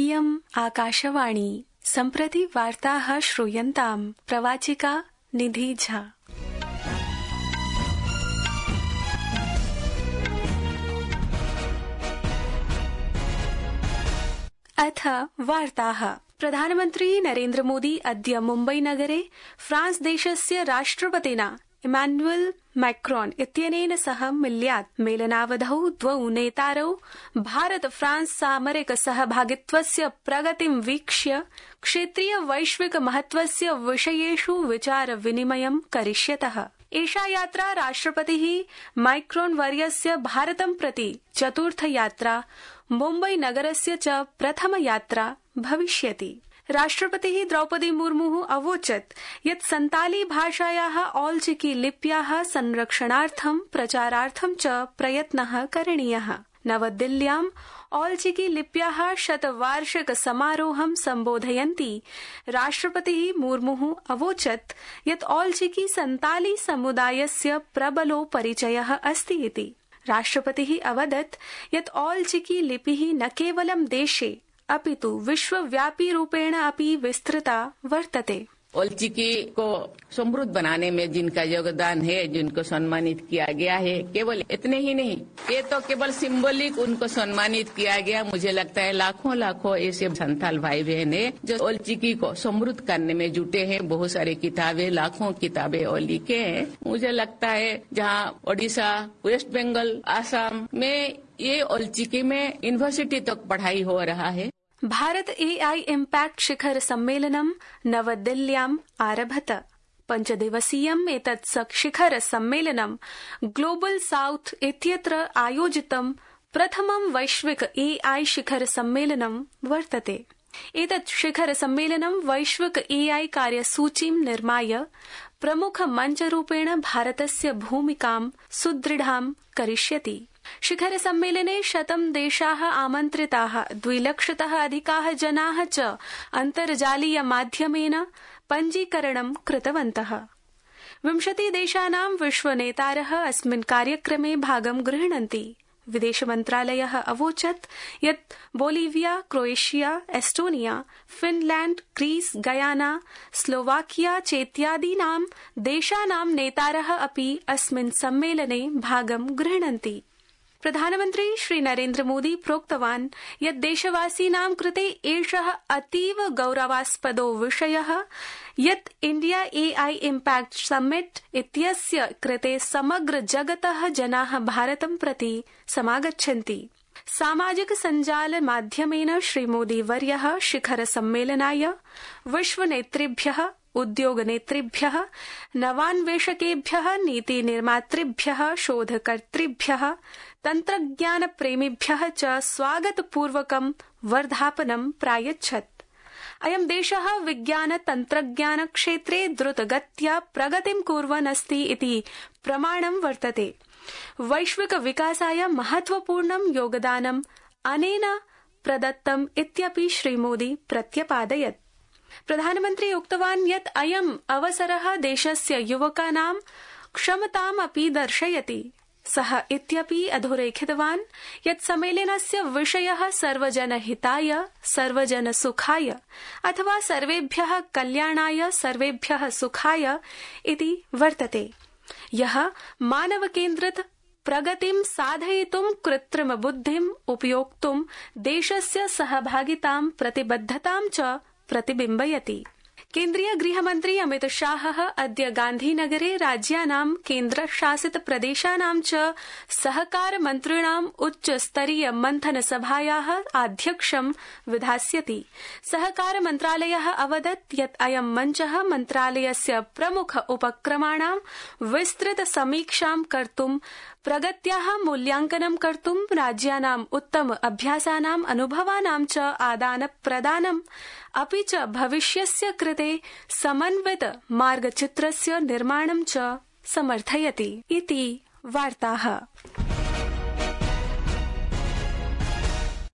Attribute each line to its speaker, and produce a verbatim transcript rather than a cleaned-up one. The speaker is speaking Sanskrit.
Speaker 1: इयम् आकाशवाणी। सम्प्रति वार्ताः श्रूयन्ताम्। प्रवाचिका निधि झा। अथ वार्ताः। प्रधानमन्त्री नरेन्द्र मोदी अद्य मुम्बई नगरे फ्रांस देशस्य राष्ट्रपतिना इमानुएल मैक्रोन इत्यनेन सह मिल्यात्। मेलनावधौ द्वौ नेतारौ भारत फ्रांस सामरिक सहभागित्वस्य प्रगतिं वीक्ष्य क्षेत्रीय वैश्विक महत्वस्य विषयेषु विचार विनिमयं करिष्यतः। एषा यात्रा राष्ट्रपतिः मैक्रोन वर्यस्य भारतं प्रति चतुर्थ यात्रा, मुम्बई नगरस्य च प्रथम यात्रा भविष्यति। राष्ट्रपतिः द्रौपदी मुर्मुः अवोचत् यत् संताली भाषायाः औल्चिकी लिप्याः संरक्षणार्थं प्रचारार्थं च प्रयत्नः करणीयः। नवदिल्ल्याम् औल्चिकी लिप्याः शतवार्षिक समारोहं सम्बोधयन्ती राष्ट्रपतिः मुर्मुः अवोचत् यत् औल्चिकी संताली समुदायस्य प्रबलो परिचयः अस्ति इति। राष्ट्रपतिः अवदत् यत् औल्चिकी लिपिः न केवलं देशे अपितु विश्वव्यापी रूपेण अपि विस्तृता वर्तते।
Speaker 2: औल्चिकी को समृद्ध बनाने में जिनका योगदान है, जिनको सम्मानित किया गया है, केवल इतने ही नहीं, ये तो केवल सिंबॉलिक उनको सम्मानित किया गया। मुझे लगता है लाखों लाखों ऐसे संथाल भाई बहन है जो औल्चिकी को समृद्ध करने में जुटे हैं। बहुत सारी किताबें, लाखों किताबें और लिखे हैं। मुझे लगता है जहाँ ओडिशा, वेस्ट बंगाल, आसाम में ये औल्चिकी में यूनिवर्सिटी तक पढ़ाई हो रहा है।
Speaker 1: भारत एआई इम्पैक्ट शिखर सम्मेलनं नवदिल्ल्याम् आरभत। पञ्चदिवसीयम् एतत् शिखर सम्मेलनं ग्लोबल साउथ इत्यत्र आयोजितं प्रथमं वैश्विक एआई शिखर सम्मेलनं वर्तते। एतत् शिखर सम्मेलनं वैश्विक एआई कार्यसूचीं निर्माय प्रमुख मञ्चरूपेण भारतस्य भूमिकां सुदृढां करिष्यति। शिखर सम्मेलने शतं देशाः आमन्त्रिताः, द्विलक्षतः अधिकाः जनाः च अन्तर्जालीय माध्यमेन पञ्जीकरणं कृतवन्तः। विंशति देशानां विश्वनेतारः अस्मिन् कार्यक्रमे भागं गृह्णन्ति। विदेश मन्त्रालयः अवोचत् यत् Bolivia, Croatia, Estonia, Finland, Greece, Guyana, Slovakia चेत्यादीनां देशानां नेतारः अपि अस्मिन् सम्मेलने भागं गृह्णन्ति। प्रधानमन्त्री श्री नरेन्द्र मोदी प्रोक्तवान् यत् देशवासीनां कृते एषः अतीव गौरवास्पदो विषयः यत् इंडिया एआई इम्पैक्ट समिट इत्यस्य कृते समग्र जगतः जनाः भारतं प्रति समागच्छन्ति। सामाजिक सञ्जाल माध्यमेन श्री मोदी वर्यः शिखर सम्मेलनाय विश्वनेतृभ्यः, उद्योगनेतृभ्यः, नवान्वेषकेभ्यः, नीतिनिर्मातृभ्यः, शोधकर्तृभ्यः, तन्त्रज्ञानप्रेमिभ्यः च स्वागतपूर्वकं वर्धापनं प्रायच्छत्। अयं देशः विज्ञान तन्त्रज्ञान क्षेत्रे द्रुतगत्या प्रगतिं कुर्वन् अस्ति इति प्रमाणं वर्तते। वैश्विक विकासाय महत्वपूर्णं योगदानं अनेन प्रदत्तम् इत्यपि श्री मोदी प्रत्यपादयत्। प्रधानमन्त्री उक्तवान् यत् अयम् अवसरः देशस्य युवकानां क्षमताम् अपि दर्शयति। सः इत्यपि अधोरेखितवान् यत् सम्मेलनस्य विषयः सर्वजनहिताय, सर्वजनसुखाय अथवा सर्वेभ्यः कल्याणाय, सर्वेभ्यः सुखाय इति वर्तते। यः मानवकेन्द्रित प्रगतिं साधयितुं कृत्रिम बुद्धिम् उपयोक्तुं देशस्य सहभागितां प्रतिबद्धतां च प्रतिबिम्बयति। केन्द्रीय गृहमन्त्री अमित शाहः अद्य गान्धीनगरे राज्यानां केन्द्रशासित प्रदेशानां च सहकार मन्त्रिणाम् उच्चस्तरीय मन्थन सभायाः आध्यक्ष्यं विधास्यति। सहकार मन्त्रालयः अवदत् यत् अयं मञ्चः मन्त्रालयस्य प्रमुख उपक्रमाणां विस्तृत समीक्षां कर्तुं, प्रगत्याः मूल्यांकनं कर्तुं, राज्यानाम् उत्तम अभ्यासानाम् अनुभवानां च आदान प्रदानम् अपि च भविष्यस्य कृते समन्वित मार्गचित्रस्य निर्माणं च समर्थयति इति वार्ताः।